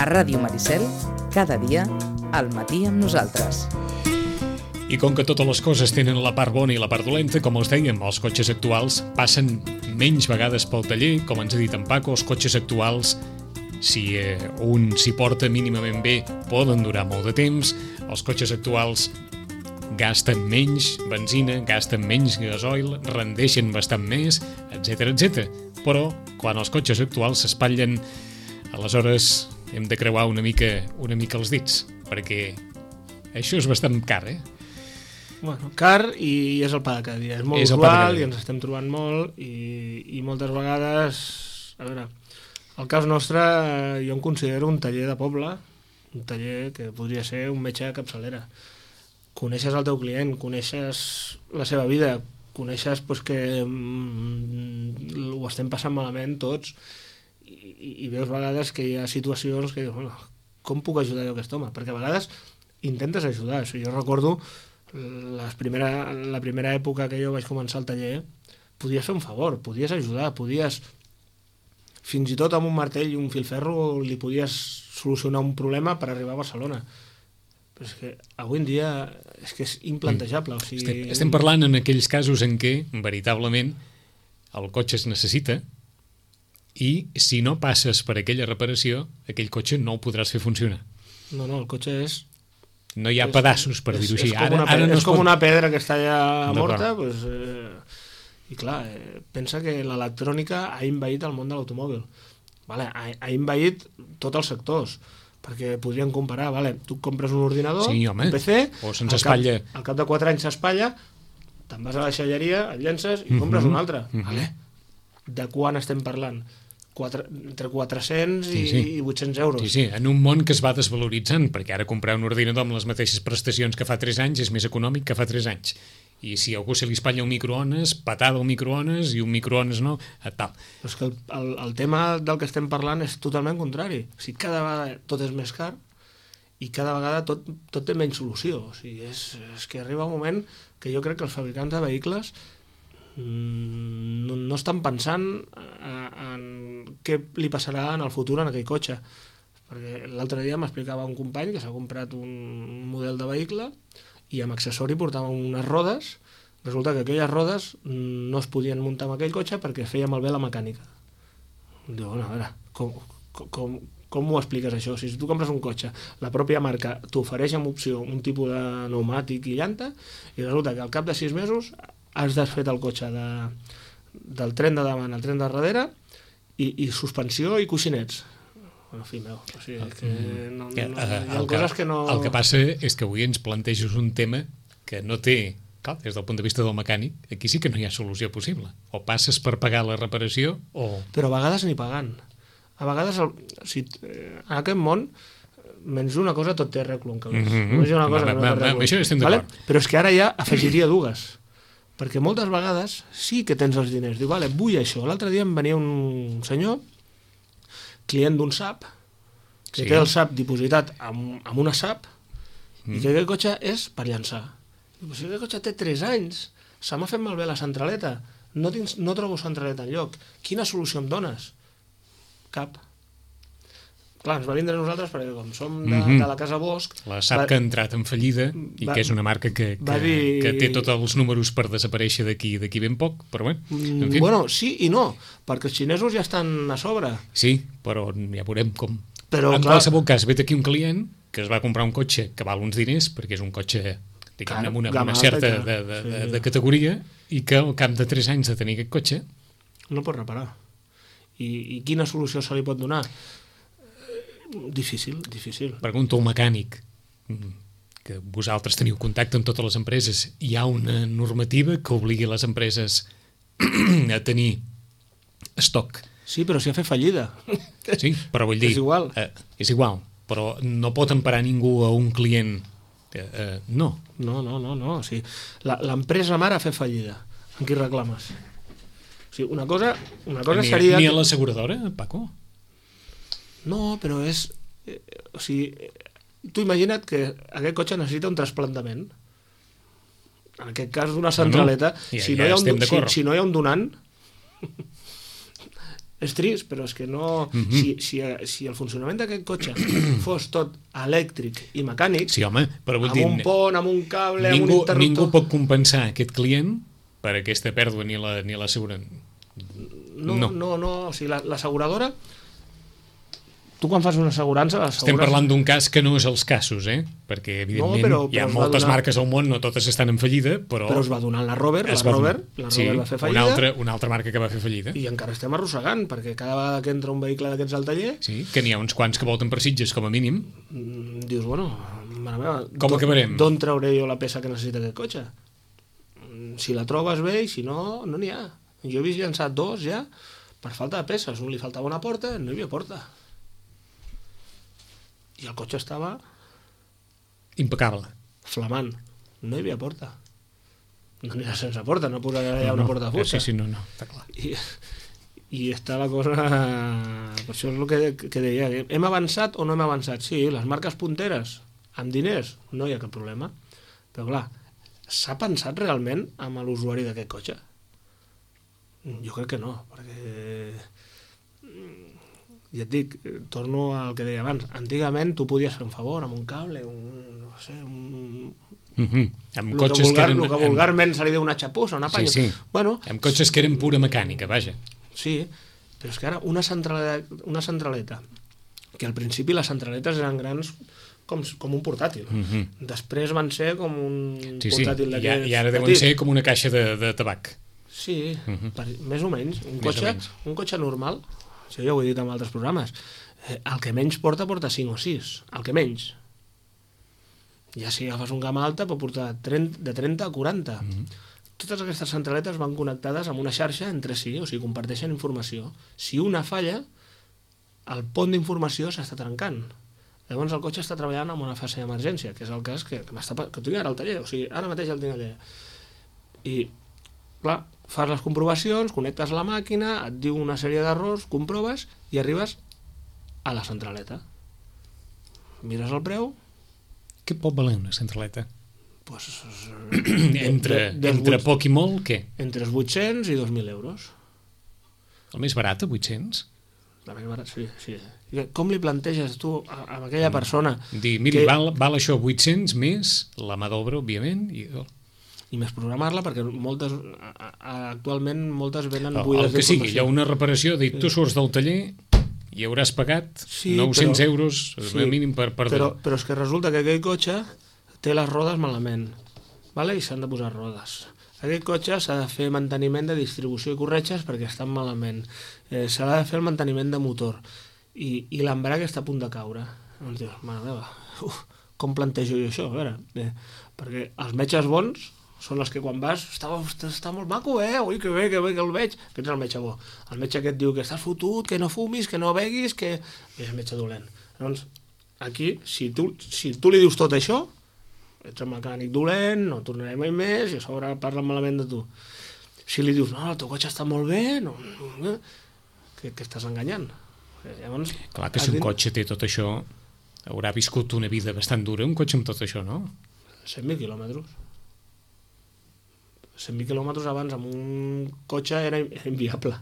A Ràdio Maricel, cada dia, al matí amb nosaltres. I com que totes les coses tenen la part bona i la part dolenta, com els dèiem, els cotxes actuals passen menys vegades pel taller, com ens ha dit en Paco, els cotxes actuals, si un s'hi porta mínimament bé, poden durar molt de temps, els cotxes actuals gasten menys benzina, gasten menys gasoil, rendeixen bastant més, etc etc. Però quan els cotxes actuals s'espatllen, aleshores hem de creuar una mica els dits, perquè això és bastant car, Bueno, car i és el pa de cada dia. És molt usual i ens estem trobant molt i moltes vegades... A veure, el cas nostre jo em considero un taller de poble, un taller que podria ser un metge de capçalera. Coneixes el teu client, coneixes la seva vida, coneixes que ho estem passant malament tots i veus vegades que hi ha situacions que dius, bueno, com puc ajudar jo a aquest home? Perquè a vegades intentes ajudar. Jo recordo la primera època que jo vaig començar el taller, podies fer un favor, podies ajudar, podies fins i tot amb un martell i un filferro li podies solucionar un problema per arribar a Barcelona. Però és que avui en dia és que és implantejable. O sigui... Estem parlant en aquells casos en què veritablement el cotxe es necessita i si no passes per aquella reparació, aquell cotxe no el podràs fer funcionar. No, el cotxe és... No hi ha pedaços, per dir-ho així. És com una pedra que està ja morta, i clar, pensa que l'electrònica ha envaït el món de l'automòbil. Ha envaït tots els sectors, perquè podríem comparar, tu compres un ordinador, un PC, al cap de 4 anys s'espatlla, te'n vas a la xalleria, et llences i compres un altre. De quan estem parlant? Entre 400 i 800 euros. Sí, en un món que es va desvaloritzant, perquè ara comprar un ordinador amb les mateixes prestacions que fa 3 anys és més econòmic que fa 3 anys. I si a algú se li espatlla un microones, patada al microones i un microones no, tal. Però és que el tema del que estem parlant és totalment contrari. O sigui, cada vegada tot és més car i cada vegada tot té menys solució. O sigui, és que arriba un moment que jo crec que els fabricants de vehicles no estan pensant en què li passarà en el futur en aquell cotxe, perquè l'altre dia m'explicava un company que s'ha comprat un model de vehicle i amb accessori portava unes rodes. Resulta que aquelles rodes no es podien muntar en aquell cotxe perquè feia malbé la mecànica. Diu, bueno, a veure, com ho expliques això? Si tu compres un cotxe, la pròpia marca t'ofereix amb opció un tipus de pneumàtic i llanta i resulta que al cap de 6 mesos has desfet el cotxe del tren de davant al tren de darrere i suspensió i coixinets. En fi, meu. O sigui, que hi ha coses que no... El que passa és que avui ens planteges un tema que no té... Clar, des del punt de vista del mecànic, aquí sí que no hi ha solució possible. O passes per pagar la reparació o... Però a vegades ni pagant. A vegades, en aquest món, menys una cosa tot té arreglo en calés. Només hi ha una cosa que no té arreglo. Això estem d'acord. Però és que ara ja afegiria dues. Perquè moltes vegades sí que tens els diners. Diu, vull això. L'altre dia em venia un senyor, client d'un SAP, que té el SAP dipositat amb una SAP i que aquest cotxe és per llançar. Diu, si aquest cotxe té 3 anys, se m'ha fet malbé la centraleta, no trobo centraleta enlloc. Quina solució em dones? Cap. Clar, ens va vindre a nosaltres perquè com som de la Casa Bosch... La SAP que ha entrat en fallida i que és una marca que té tots els números per desaparèixer d'aquí ben poc, però bé, en fi. Bueno, sí i no, perquè els xinesos ja estan a sobre. Sí, però ja veurem com... En qualsevol cas, vet aquí un client que es va comprar un cotxe que val uns diners, perquè és un cotxe amb una certa de categoria i que al cap de 3 anys de tenir aquest cotxe... No pot reparar. I quina solució se li pot donar? Difícil. Pregunto al mecànic, que vosaltres teniu contacte amb totes les empreses, hi ha una normativa que obligui les empreses a tenir estoc? Sí, però si ha fet fallida. Sí, però vull dir... És igual, però no pot emparar ningú a un client. No. O sigui, l'empresa mare ha fet fallida. En qui reclames? O sigui, una cosa seria... Ni a l'asseguradora, Paco? No, però és... O sigui, tu imagina't que aquest cotxe necessita un trasplantament. En aquest cas, d'una centraleta. Si no hi ha un donant, És trist, però és que no... Si el funcionament d'aquest cotxe fos tot elèctric i mecànic, sí, home, però vull dir, amb un pont, amb un cable, amb un interruptor... Ningú pot compensar aquest client per aquesta pèrdua ni l'assegurança. No, o sigui, l'asseguradora... Tu quan fas una assegurança... Estem parlant d'un cas que no és els casos, perquè evidentment hi ha moltes marques al món, no totes estan en fallida, però es va donar la Rover, la Rover va fer fallida. Una altra marca que va fer fallida. I encara estem arrossegant, perquè cada vegada que entra un vehicle d'aquests al taller... Sí, que n'hi ha uns quants que volten per Sitges, com a mínim. Dius, bueno, mare meva, com acabarem? D'on trauré jo la peça que necessita aquest cotxe? Si la trobes bé i si no, no n'hi ha. Jo he vist llançat 2 ja per falta de peces. Un li faltava una porta, no hi havia porta. I el cotxe estava... impecable. Flamant. No hi havia porta. No n'hi ha sense porta, no posarà allà una porta de fusta. Sí, no, està clar. I està la cosa... Per això és el que deia. Hem avançat o no hem avançat? Sí, les marques punteres, amb diners, no hi ha cap problema. Però clar, s'ha pensat realment amb l'usuari d'aquest cotxe? Jo crec que no, perquè... Ja et dic, torno al que deia abans. Antigament tu podies fer un favor amb un cable, no sé, amb cotxes que eren... El que vulgarment se li diu una xapussa, una panya. Sí. Bueno, amb cotxes que eren pura mecànica, vaja. Sí, però és que ara una centraleta, que al principi les centraletes eren grans com un portàtil. Després van ser com un portàtil d'aquests... I ara deuen ser com una caixa de tabac. Sí, més o menys. Un cotxe normal, això ja ho he dit en altres programes, el que menys porta 5 o 6, el que menys. Ja si agafes un gamma alta pot portar de 30 a 40. Totes aquestes centraletes van connectades amb una xarxa entre si, o sigui, comparteixen informació. Si una falla, el pont d'informació s'està trencant. Llavors el cotxe està treballant en una fase d'emergència, que és el cas que tinc ara al taller, o sigui, ara mateix el tinc allà. I, clar, fas les comprovacions, connectes la màquina, et diu una sèrie d'errors, comproves i arribes a la centraleta. Mires el preu... Què pot valer una centraleta? Pues, entre poc i molt, què? Entre els 800 i 2.000 euros. El més barat, a 800? La més barat, sí. Com li planteges tu a aquella persona... Dir, miri, val això 800 més la mà d'obra, òbviament, i més programar-la, perquè actualment moltes venen buides d'informació. El que sigui, hi ha una reparació, dic, tu surts del taller i hauràs pagat 900 euros mínim per però és que resulta que aquell cotxe té les rodes malament, i s'han de posar rodes. Aquest cotxe s'ha de fer manteniment de distribució i corretges perquè estan malament. S'ha de fer el manteniment de motor i l'embrague està a punt de caure. Llavors dius, mare meva, com plantejo jo això? A veure, perquè els metges bons són els que quan vas, està molt maco, ui, que bé que el veig. Aquest és el metge bo. El metge que et diu que estàs fotut, que no fumis, que no beguis, que... És el metge dolent. Llavors, aquí, si tu li dius tot això, ets un mecànic dolent, no tornaré mai més, i a sobre parlen malament de tu. Si li dius, no, el teu cotxe està molt bé, que estàs enganyant. Llavors, clar que si un cotxe té tot això, haurà viscut una vida bastant dura, un cotxe amb tot això, no? 100.000 quilòmetres. 100.000 quilòmetres abans amb un cotxe era inviable.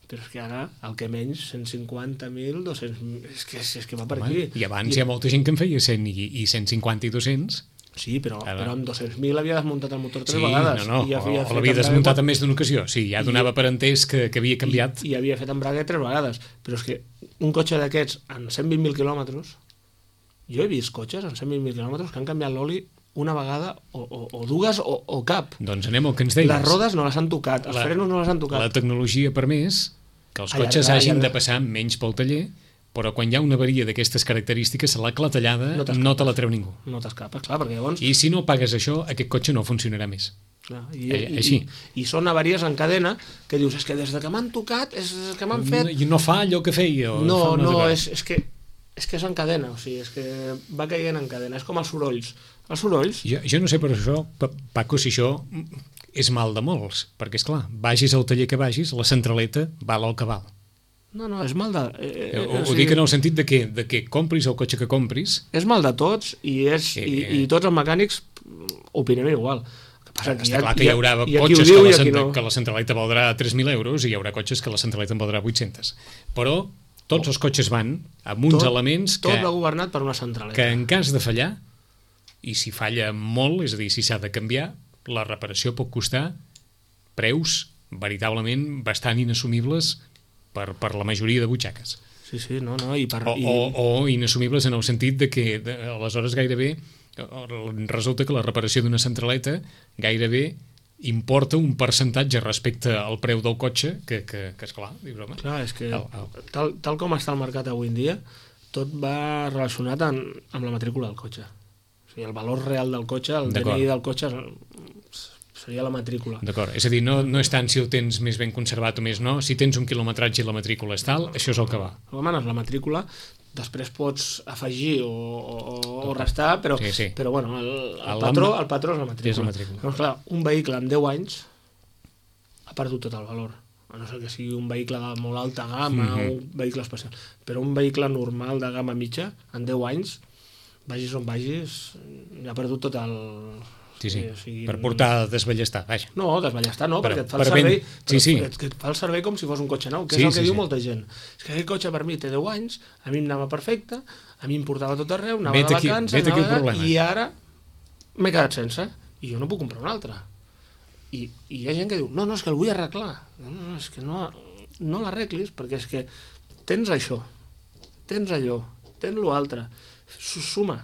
Però és que ara, el que menys, 150.000, 200.000... És que va per aquí. I abans hi ha molta gent que en feia 100 i 150 i 200. Sí, però amb 200.000 havia desmuntat el motor 3 vegades. O l'havia desmuntat en més d'una ocasió. Sí, ja donava per entès que havia canviat. I havia fet embrague 3 vegades. Però és que un cotxe d'aquests, en 120.000 quilòmetres, jo he vist cotxes en 120.000 quilòmetres que han canviat l'oli una vegada o dues o cap. Doncs anem al que ens deies. Les rodes no les han tocat, els frenos no les han tocat. La tecnologia ha permès que els cotxes hagin de passar menys pel taller, però quan hi ha una avaria d'aquestes característiques, la clatellada no te la treu ningú. No t'escapes, clar, perquè llavors... I si no pagues això, aquest cotxe no funcionarà més. Clar, i són avaries en cadena que dius, és que des que m'han tocat, és que m'han fet... I no fa allò que feia. És que és en cadena, o sigui, és que va caient en cadena, és com els sorolls. Els sorolls... Jo no sé per això, Paco, si això és mal de molts, perquè, esclar, vagis al taller que vagis, la centraleta val el que val. No, és mal de... Ho dic en el sentit de que compris el cotxe que compris... És mal de tots i tots els mecànics opinem igual. El que Està clar que hi haurà cotxes que la centraleta valdrà 3.000 euros i hi haurà cotxes que la centraleta en valdrà 800. Però tots els cotxes van amb uns elements tot va governat per una centraleta. Que en cas de fallar, i si falla molt, és a dir, si s'ha de canviar, la reparació pot costar preus veritablement bastant inassumibles per la majoria de butxaques. Sí, no, o inassumibles en el sentit de que aleshores gairebé resulta que la reparació d'una centraleta gairebé importa un percentatge respecte al preu del cotxe que esclar, dius, home... Clar, és que tal com està el mercat avui en dia, tot va relacionat amb la matrícula del cotxe. O sigui, el valor real del cotxe, el DNI del cotxe seria la matrícula. D'acord, és a dir, no és tant si el tens més ben conservat o més no, si tens un quilometratge i la matrícula és tal, això és el que va. Demanes la matrícula, després pots afegir o restar, però bueno, el patró és la matrícula. És la matrícula. Doncs clar, un vehicle amb 10 anys ha perdut tot el valor, a no ser que sigui un vehicle de molt alta gamma o un vehicle especial, però un vehicle normal de gamma mitja, en 10 anys, vagis on vagis, ja ha perdut tot el... Sí. Per portar a desballestar, vaja. No, desballestar no, perquè et fa el servei que et fa el servei com si fos un cotxe nou, que és el que diu molta gent. És que aquest cotxe per mi té 10 anys, a mi em anava perfecte, a mi em portava tot arreu, anava de vacances, i ara m'he quedat sense, i jo no puc comprar un altre. I hi ha gent que diu, no, és que el vull arreglar. No, és que no l'arreglis, perquè és que tens això, tens allò, tens l'altre, suma.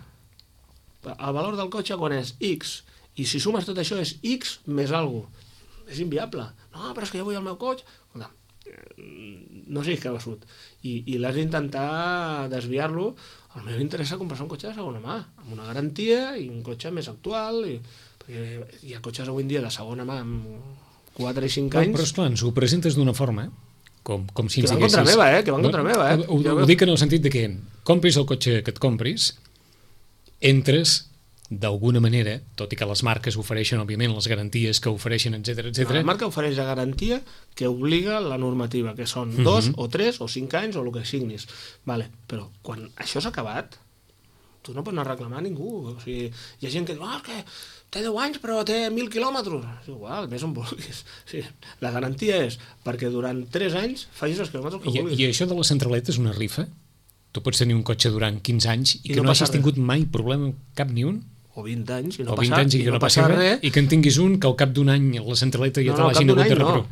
El valor del cotxe quan és X, i si sumes tot això és X més alguna cosa. És inviable. No, però és que jo vull el meu cotxe. No siguis cabeçut. I l'has d'intentar desviar-lo. El meu interessa comprar-se un cotxe de segona mà, amb una garantia i un cotxe més actual. Perquè hi ha cotxes avui en dia de segona mà amb 4 i 5 anys. Però esclar, ens ho presentes d'una forma, com si ens diguessis... Que van contra meva, Ho dic en el sentit de que compris el cotxe que et compris, entres d'alguna manera, tot i que les marques ofereixen, òbviament, les garanties que ofereixen, etc. La marca ofereix la garantia que obliga la normativa, que són 2 o 3 o 5 anys o el que signis. Vale. Però quan això s'ha acabat, tu no pots anar a reclamar a ningú. O sigui, hi ha gent que diu, és que té 10 anys però té 1.000 quilòmetres. És igual, més on vulguis. Sí, la garantia és perquè durant 3 anys facis els quilòmetres que vulguis. I això de la centraleta és una rifa? Tu pots tenir un cotxe durant 15 anys i que no hagis tingut mai problema cap ni un? O 20 anys i no passa res, i que en tinguis un que al cap d'un any la centraleta ja te l'hagin hagut de reparar.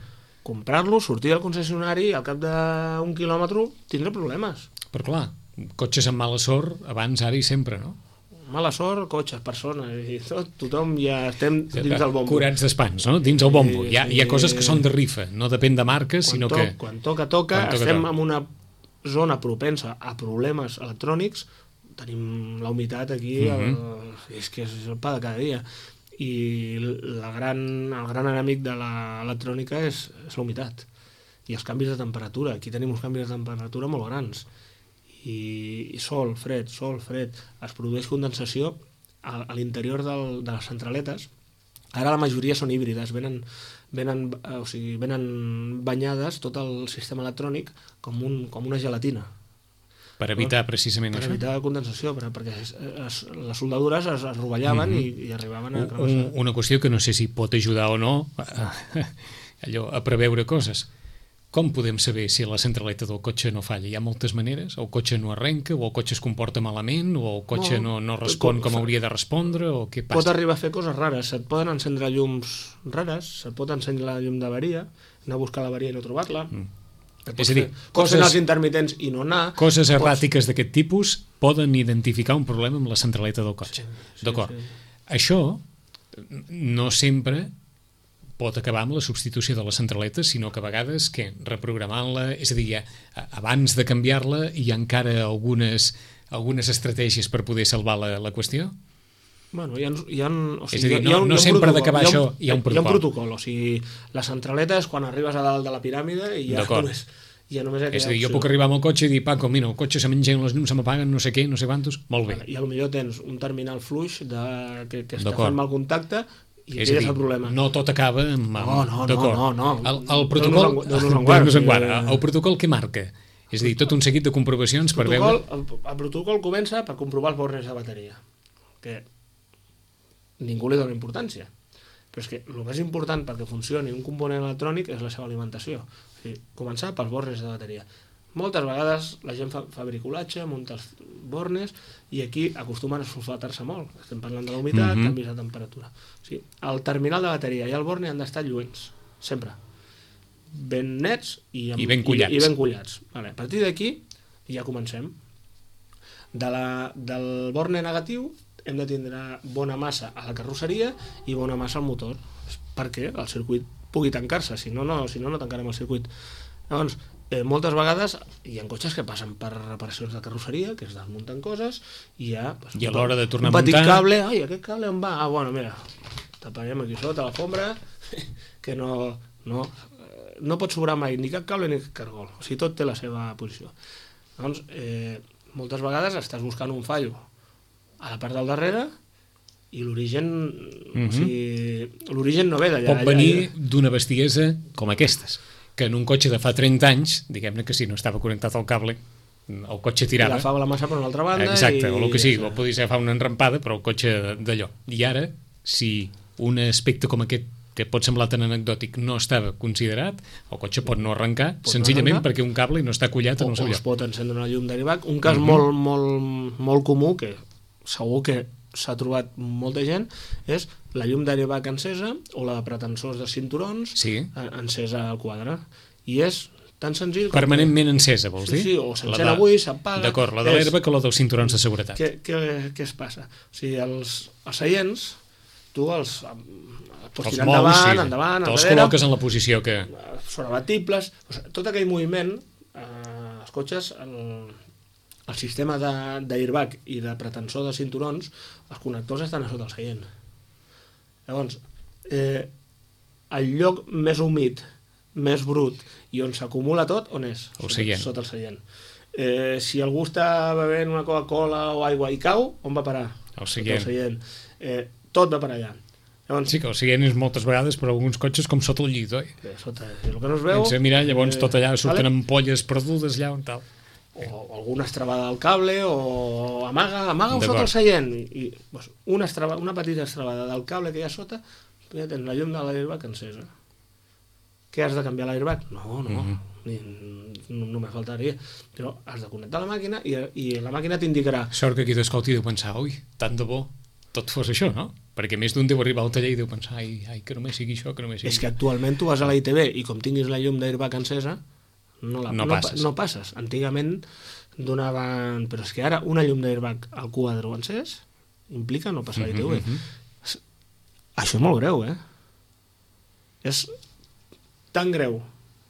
Comprar-lo, sortir del concessionari, al cap d'un quilòmetre tindrà problemes. Però clar, cotxes amb mala sort abans, ara i sempre, no? Mala sort, cotxes, persones i tot, tothom ja estem dins del bombo. Curats d'espans, no? Dins el bombo. Hi ha coses que són de rifa, no depèn de marques, sinó que... Quan toca, estem en una zona propensa a problemes electrònics. Tenim la humitat aquí, és que és el pa de cada dia. I el gran enemic de l'electrònica és la humitat i els canvis de temperatura. Aquí tenim uns canvis de temperatura molt grans. I sol, fred. Es produeix condensació a l'interior de les centraletes. Ara la majoria són híbrides, venen banyades tot el sistema electrònic com una gelatina. Per evitar precisament això? Per evitar la condensació, perquè les soldadures es rovellaven i arribaven a travessar. Una qüestió que no sé si pot ajudar o no a preveure coses. Com podem saber si la centraleta del cotxe no falla? Hi ha moltes maneres? El cotxe no arrenca, o el cotxe es comporta malament, o el cotxe no respon com hauria de respondre, o què passa? Pot arribar a fer coses rares. Se't poden encendre llums rares, se't pot encendre la llum d'avaria, anar a buscar l'avaria i no trobar-la. És a dir, coses als intermitents i no anar. Coses erràtiques d'aquest tipus poden identificar un problema amb la centraleta del cotxe. D'acord. Això no sempre pot acabar amb la substitució de la centraleta, sinó que a vegades reprogramant-la, és a dir, abans de canviar-la hi ha encara algunes estratègies per poder salvar la qüestió? Bueno, és a dir, no sempre d'acabar això hi ha un protocol. Hi ha un protocol, o sigui, la centraleta és quan arribes a dalt de la piràmide i ja només és a dir, jo puc arribar amb el cotxe i dir, Paco, mira, el cotxe se m'engeguen les llums, se m'apaguen, no sé què, no sé quantos, molt bé. I potser tens un terminal fluix que està fent mal contacte i aquell és el problema. No tot acaba amb... No. El protocol... El protocol què marca? És a dir, tot un seguit de comprovacions per veure... El protocol comença per comprovar els bornes de bateria, que ningú li dona importància. Però és que el més important perquè funcioni un component electrònic és la seva alimentació. O sigui, començar pels bornes de bateria. Moltes vegades la gent fa bricolatge, munta els bornes i aquí acostumen a sulfatar-se molt. Estem parlant de la humitat, canvis de temperatura. O sigui, el terminal de bateria i el borne han d'estar lluents, sempre. Ben nets i ben collats. I ben collats. Vale, a partir d'aquí ja comencem. Del borne negatiu hem de tindre bona massa a la carrosseria i bona massa al motor perquè el circuit pugui tancar-se, si no tancarem el circuit. Llavors, moltes vegades hi ha cotxes que passen per reparacions de carrosseria, que es desmunten coses i ja... I a l'hora de tornar a muntar... Un petit cable, aquest cable on va? Bueno, mira, taparem aquí sota l'alfombra que no pot sobrar mai ni cap cable ni cap cargol, o sigui, tot té la seva posició. Doncs, moltes vegades estàs buscant un fallo a la part del darrere i l'origen o sigui, l'origen no ve d'allà. Pot venir d'una bestiesa com aquestes, que en un cotxe de fa 30 anys, diguem-ne que si no estava connectat al cable, el cotxe tirava. I agafava la massa per una altra banda. Exacte, o el que sigui, o podia ser agafar una enrampada, però el cotxe d'allò. I ara, si un aspecte com aquest que pot semblar tan anecdòtic no estava considerat, el cotxe pot no arrencar senzillament perquè un cable no està collat en el seu lloc. O es pot encendre una llum d'airbag. Un cas molt comú, que segur que s'ha trobat molta gent, és la llum d'airbag encesa o la de pretensors de cinturons encesa al quadre. I és tan senzill... Permanentment encesa, vols dir? Sí, o s'encén avui, s'apaga... D'acord, la de l'airbag o la dels cinturons de seguretat. Què es passa? O sigui, els seients, tu els pots tirar endavant, te'ls col·loques en la posició que... Són abatibles, tot aquell moviment, els cotxes, el sistema d'airbag i de pretensor de cinturons, els connectors estan a sota el seient. Llavors, el lloc més humit, més brut, i on s'acumula tot, on és? Sota el seient. Si algú està bevent una Coca-Cola o aigua i cau, on va parar? El seient. Tot va per allà. Llavors, sí, que el seient és moltes vegades per alguns cotxes com sota el llit, oi? Sota, el que no es veu... Mirar, llavors tot allà surten ampolles perdudes allà on tal. O alguna estrabada al cable, o amaga-ho sota el seient. I una petita estrabada del cable que hi ha sota, ja tens la llum de l'airbag encesa. Què has de canviar l'airbag? No, només faltaria. Però has de connectar la màquina i la màquina t'indicarà... Sort que qui t'escolti deu pensar, ui, tant de bo tot fos això, no? Perquè més d'un deu arribar al taller i deu pensar, ai, que només sigui això, que només sigui... És que actualment tu vas a la ITV i com tinguis la llum d'airbag encesa, no passes. Antigament donaven... Però és que ara una llum d'airbag al quadre encès implica no passar a la ITV. Això és molt greu, És tan greu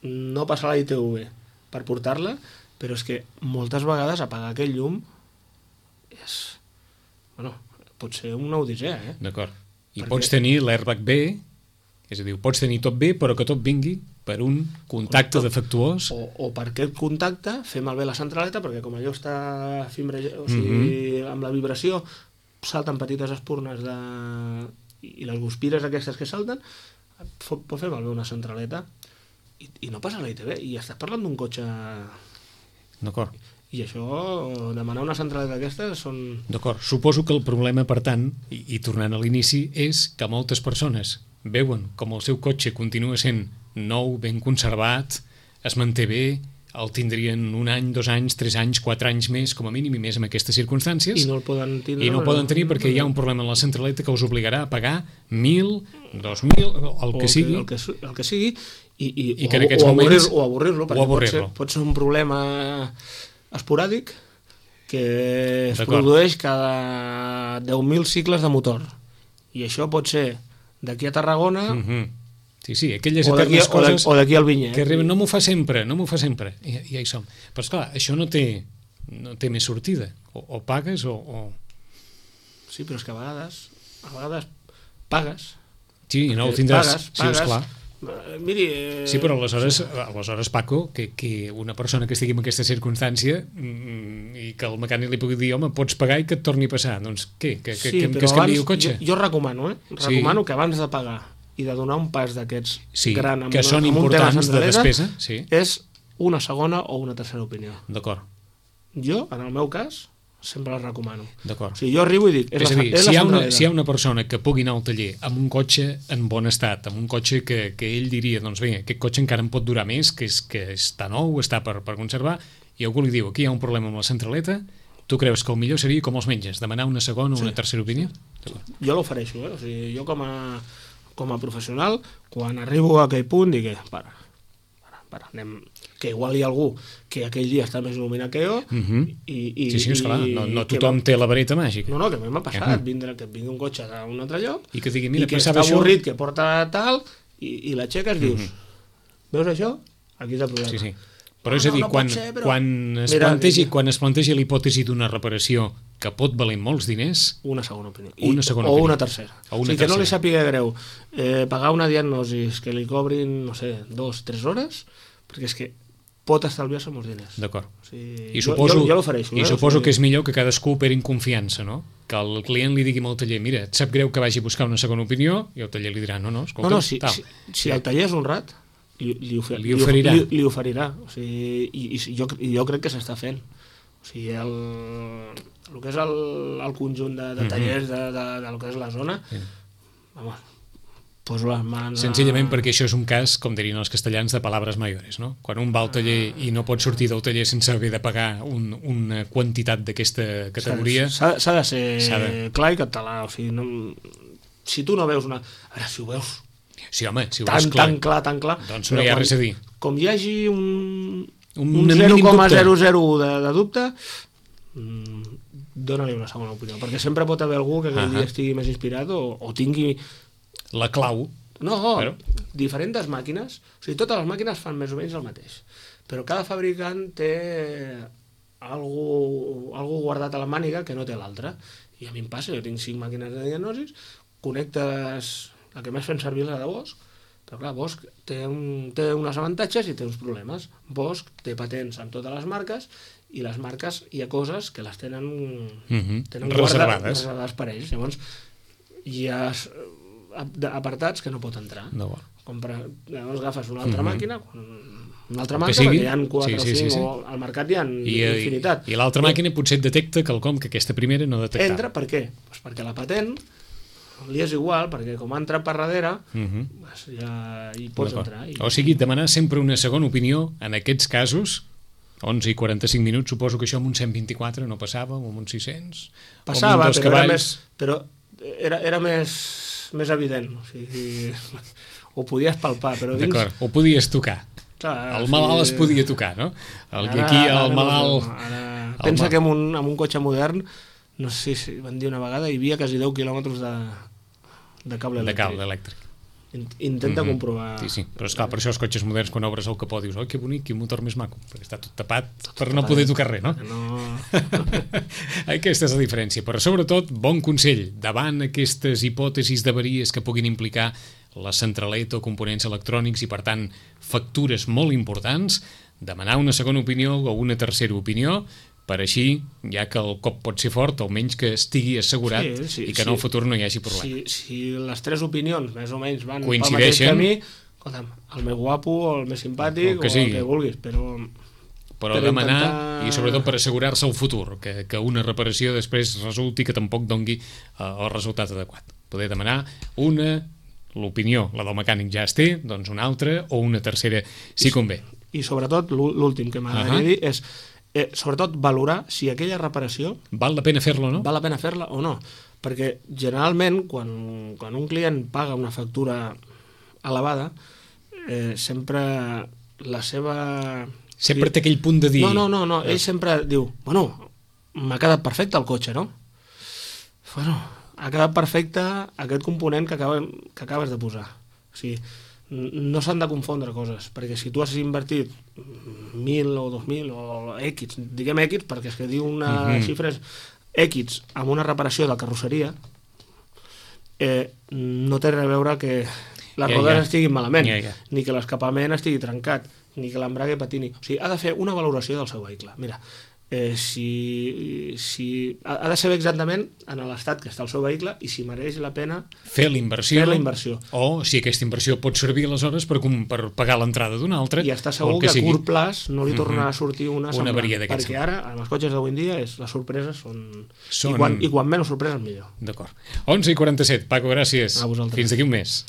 no passar a la ITV per portar-la, però és que moltes vegades apagar aquell llum és... pot ser una odissea, D'acord. I pots tenir l'airbag bé, és a dir, pots tenir tot bé, però que tot vingui per un contacte defectuós. O per aquest contacte fer malbé la centraleta, perquè com allò està amb la vibració salten petites espurnes i les guspires aquestes que salten, pot fer malbé una centraleta i no passa a la ITV, i estàs parlant d'un cotxe... D'acord. I això, demanar una centraleta d'aquestes són... D'acord, suposo que el problema, per tant, i tornant a l'inici, és que moltes persones veuen com el seu cotxe continua sent nou, ben conservat, es manté bé, el tindrien 1 any, 2 anys, 3 anys, 4 anys més, com a mínim, i més en aquestes circumstàncies. I no el poden tindre. I no el poden tenir perquè hi ha un problema en la centraleta que us obligarà a pagar 1.000, 2.000, el que sigui. El que sigui, i que en aquests moments... O avorrir-lo, perquè pot ser un problema esporàdic que es produeix cada 10.000 cicles de motor. I això pot ser d'aquí a Tarragona... Sí, aquelles eternes coses... O d'aquí al Vinyet. Que arriben, no m'ho fa sempre, i ja hi som. Però esclar, això no té més sortida. O pagues o... Sí, però és que a vegades pagues. Sí, i no el tindràs. Sí, esclar. Miri... Sí, però aleshores, Paco, que una persona que estigui en aquesta circumstància i que el mecànic li pugui dir, home, pots pagar i que et torni a passar. Doncs què? Que es canviï el cotxe? Jo recomano, recomano que abans de pagar i de donar un pas d'aquests gran que són importants de despesa, és una segona o una tercera opinió. D'acord. Jo, en el meu cas, sempre les recomano. D'acord. O sigui, jo arribo i dic... És a dir, si hi ha una persona que pugui anar al taller amb un cotxe en bon estat, amb un cotxe que ell diria, doncs bé, aquest cotxe encara em pot durar més, que està nou, està per conservar, i algú li diu, aquí hi ha un problema amb la centraleta, tu creus que el millor seria com els metges, demanar una segona o una tercera opinió? Jo l'ofereixo, o sigui, jo com a professional, quan arribo a aquell punt, dic, para, anem... que igual hi ha algú que aquell dia està més il·luminat que jo sí, esclar, no tothom té la vareta màgica. No, que a mi m'ha passat, que et vingui un cotxe d'un altre lloc i que digui, mira, i que està avorrit, que porta tal, i l'aixeques dius, veus això? Aquí és el problema. Sí. Però és a dir, quan es plantegi l'hipòtesi d'una reparació que pot valer molts diners... Una segona opinió. O una tercera. O sigui, que no li sàpiga greu pagar una diagnosi que li cobrin, no sé, 2-3 hores, perquè és que pot estalviar-se molts diners. D'acord. O sigui, I suposo l'ofereixo. I suposo que és millor que cadascú operi en confiança, no? Que el client li digui al taller, mira, et sap greu que vagi a buscar una segona opinió, i el taller li dirà, no, escolta... Si el taller és honrat, li oferirà. O sigui, i jo crec que s'està fent. O sigui, el que és el conjunt de tallers del que és la zona, vamos, poso les mans... Senzillament perquè això és un cas, com dirien els castellans, de palabres mayores, no? Quan un va al taller i no pot sortir del taller sense haver de pagar una quantitat d'aquesta categoria... S'ha de ser clar i català. O sigui, si tu no veus una... Ara, si ho veus... Sí, home, si ho veus clar... Tan clar... Doncs no hi ha res a dir. Com hi hagi un 0,001 de dubte, dóna-li una segona opinió, perquè sempre pot haver algú que aquell dia estigui més inspirat o tingui... La clau. No, diferents màquines, o sigui, totes les màquines fan més o menys el mateix, però cada fabricant té algú guardat a la màniga que no té l'altre, i a mi em passa, jo tinc 5 màquines de diagnosis, connectes, la que més fem servir és la de Bosch, però clar, Bosch té uns avantatges i té uns problemes. Bosch té patents en totes les marques, i les marques hi ha coses que les tenen reservades per ells. Llavors hi ha apartats que no pot entrar. Llavors agafes una altra màquina, una altra marca, perquè hi ha 4 o 5, o al mercat hi ha infinitat. I l'altra màquina potser et detecta quelcom que aquesta primera no detectava. Entra, per què? Doncs perquè la patent li és igual, perquè com ha entrat per darrere, ja hi pots entrar. O sigui, demanar sempre una segona opinió en aquests casos, 11 i 45 minuts, suposo que això amb un 124 no passava, o amb un 600? Passava, però era més evident, o sigui, ho podies palpar, però dins... D'acord, ho podies tocar. El malalt es podia tocar, no? Aquí el malalt... Pensa que amb un cotxe modern, no sé si van dir una vegada, hi havia quasi 10 quilòmetres de cable elèctric. Intenta comprovar... Sí, però esclar, per això els cotxes moderns, quan obres el capó, dius, que bonic, quin motor més maco, perquè està tot tapat per no poder tocar res, no? Aquesta és la diferència, però sobretot, bon consell, davant aquestes hipòtesis d'avaries que puguin implicar la centraleta o components electrònics i, per tant, factures molt importants, demanar una segona opinió o una tercera opinió, per així, ja que el cop pot ser fort, almenys que estigui assegurat i que en el futur no hi hagi problema. Si les 3 opinions més o menys van pel mateix camí, escolta'm, el més guapo, el més simpàtic, o el que vulguis, però demanar, i sobretot per assegurar-se el futur, que una reparació després resulti que tampoc dongui el resultat adequat. Poder demanar l'opinió, la del mecànic ja es té, doncs una altra o una tercera si convé. I sobretot, l'últim que m'agradaria dir és sobretot valorar si aquella reparació val la pena fer-la o no? Val la pena fer-la o no, perquè generalment quan un client paga una factura elevada, sempre la seva... Sempre té aquell punt de dir... No, ell sempre diu, bueno, m'ha quedat perfecte el cotxe, no? Bueno, ha quedat perfecte aquest component que acabes de posar. O sigui, no s'han de confondre coses, perquè si tu has invertit 1.000 o 2.000 o X, diguem X, perquè és que diu una xifra X amb una reparació de carrosseria, no té res a veure que les rodes estiguin malament, ni que l'escapament estigui trencat, ni que l'embrague patini. O sigui, ha de fer una valoració del seu vehicle. Mira, si ha de saber exactament en l'estat que està el seu vehicle i si mereix la pena fer la inversió, o si aquesta inversió pot servir aleshores per pagar l'entrada d'un altre, i està segur que a curt plaç no li tornarà a sortir una avaria d'aquest perquè ara amb els cotxes d'avui en dia les sorpreses són... I quan menys sorpreses millor. D'acord. 11:47, Paco, gràcies. A vosaltres. Fins d'aquí un mes.